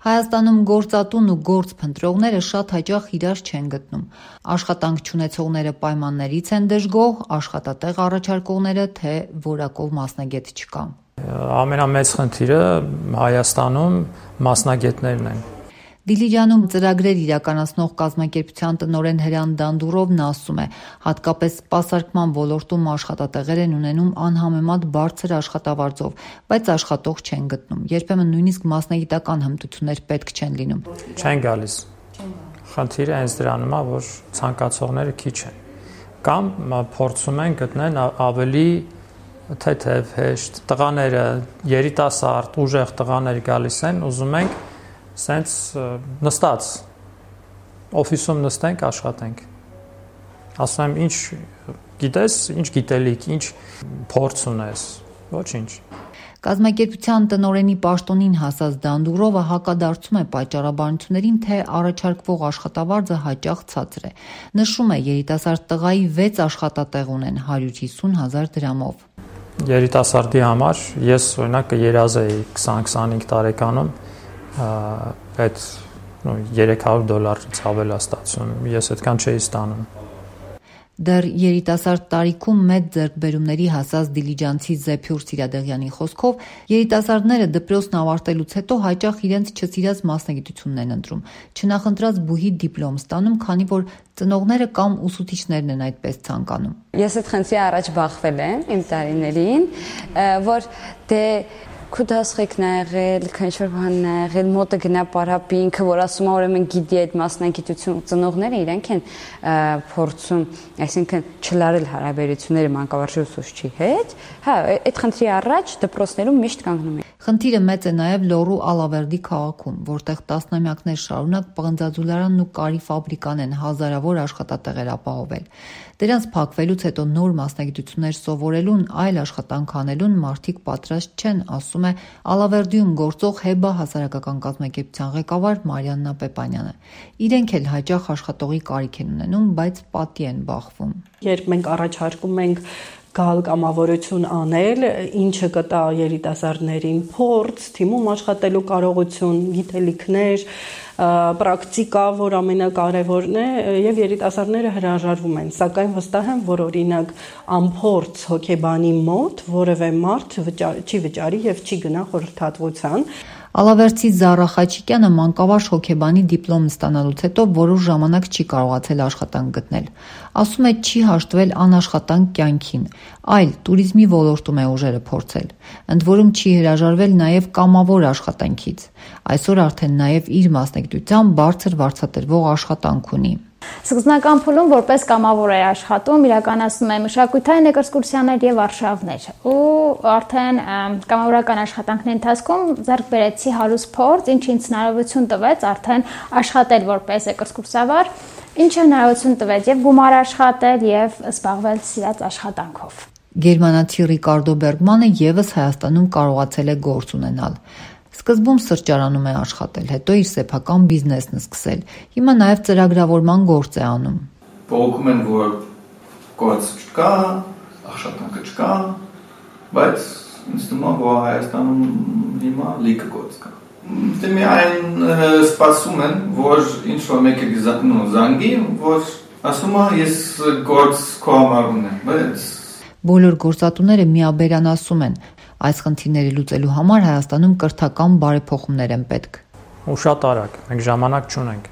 Հայաստանում գործատուն ու գործ փնտրողները շատ հաճախ իրար չեն գտնում։ Աշխատանք չունեցողները պայմաններից են դժգոհ, աշխատատեղ առաջարկողները, թե որակով մասնագետ չկա։ Ամենամեծ խնդիրը Հայաստանում մասնագետներն են։ Դիլիջանում ծրագրեր իրականացնող կազմակերպության տնօրեն Հրան Դանդուրովն ասում է, հատկապես սպասարկման ոլորտում աշխատատեղեր են ունենում անհամեմատ բարձր աշխատավարձով, բայց աշխատող չեն գտնում։ Երբեմն նույնիսկ մասնագիտական հմտություններ պետք չեն լինում։ Չեն գալիս։ Խնդիրը հենց դրանում է, որ ցանկացողները քիչ են։ Կամ փորձում են գտնել ավելի թեթև, հեշտ տղաները, երիտասարդ, ուժեղ տղաներ գալիս են, ուզում ենք սենց նստած օֆիսում նստենք, աշխատենք։ Ասում եմ, ինչ գիտես, ինչ գիտելիք, ինչ փորձ ունես, ոչինչ։ Կազմակերպության տնօրենի պաշտոնին հասած Դանդուրովը հակադարձում է պատճառաբանություններին, թե առաջարկվող աշխատավարձը հաճախ ցածր է։ Նշում է, երիտասարդ տղայի 6 աշխատատեղ ունեն 150,000 դրամով։ Երիտասարդի համար ես օրինակ կերազեի 20-25 տարեկանում այդ $300 ցավելա ստացում, ես այդքան չէի ստանում։ Դեռ երիտասարդ տարիքում մեծ ձեռքբերումների հասած դիլիջանցի Զեփյուր Սիրադեղյանի խոսքով, երիտասարդները դպրոցն ավարտելուց հետո հաճախ իրենց չսիրած մասնագիտությունն են ընտրում, չնախընտրած բուհի դիպլոմ ստանում, քանի որ ծնողները կամ ուսուցիչներն են այդպես ցանկանում։ Ես այդ խնդրի առաջ բախվել եմ իմ տարիներին, որ դե Քուդասխեկն ա եղել, քանչոր բանն ա եղել, մոտը գնա պարապի, ինքը որ ասում է ուրեմն գիտի այդ մասնագիտություն, ծնողները իրենք են փորձում, այսինքն չլարել հարաբերությունները մանկավարժի ուսուցչի հետ, հա, այդ խնդրի առաջ դպրոցներում միշտ կանգնում են։ Խնդիրը մեծ է նաև Լոռու Ալավերդի քաղաքում, որտեղ տասնամյակներ շարունակ պղնձաձուլարանն ու կարի ֆաբրիկան են հազարավոր աշխատատեղեր ապահովել։ Դրանց փակվելուց հետո նոր մասնագիտություններ սովորելուն, այլ աշխատանք անելուն մարդիկ պատրաստ չեն, ասում է Ալավերդիում գործող ՀԵԲԱ հասարակական կազմակերպության ղեկավար Մարիաննա Պեպանյանը։ Իրենք էլ հաճախ աշխատողի կարիք են ունենում, բայց պատի են բախվում։ Երբ մենք առաջարկում ենք գալ կամավորություն անել, ինչը կտա երիտասարդներին փորձ, թիմում աշխատելու կարողություն, գիտելիքներ, պրակտիկա, որ ամենակարևորն է, եւ երիտասարդները հրաժարվում են, սակայն վստահ եմ, որ օրինակ անփորձ հոգեբանի մոտ որևէ մարդ չի վճարի եւ չի գնա խորհրդատվության։ Ալավերդցի Զառա Խաչիկյանը մանկավարժ հոգեբանի դիպլոմ ստանալուց հետո որոշ ժամանակ չի կարողացել աշխատանք գտնել։ Ասում է, չի հաշտվել անաշխատանք կյանքին, այլ տուրիզմի ոլորտում է ուժերը փորձել։ Ընդ որում չի հրաժարվել նաև կամավոր աշխատանքից։ Այսօր արդեն նաև իր մասնագիտությամբ բարձր վարձատրվող աշխատանք ունի։ Սկզբնական փուլում որպես կամավոր էր աշխատում, իրականացնում է մշակութային էքսկուրսիաներ եւ արշավներ։ Ու արդեն կամավորական աշխատանքների ընթացքում ձեռք բերեցի հարուստ փորձ, ինչը ինձ հնարավորություն տվեց արդեն աշխատել որպես էքսկուրսավար, ինչը հնարավորություն տվեց եւ գումար աշխատել եւ զբաղվել սիրած աշխատանքով։ Գերմանացի Ռիկարդո Բերգմանը եւս Հայաստանում կարողացել է գործ ունենալ։ Սկզբում սրճարանում է աշխատել, հետո իր սեփական բիզնեսն սկսել։ Հիմա նաև ծրագրավորման գործ է անում։ Բողոքում են, որ գործ չկա, աշխատանքը չկա, բայց ինձ թվում է, որ Հայաստանում հիմա լիքը գործ կա։ Դե միայն սպասում են, որ ինչ-որ մեկը զանգի, որ ասում է, ես գործ քո համար ունեմ, բայց բոլոր գործատուները միաբերան ասում են, այս խնդիրները լուծելու համար Հայաստանում կրթական բարեփոխումներ են պետք։ Ու շատ արագ, մենք ժամանակ չունենք։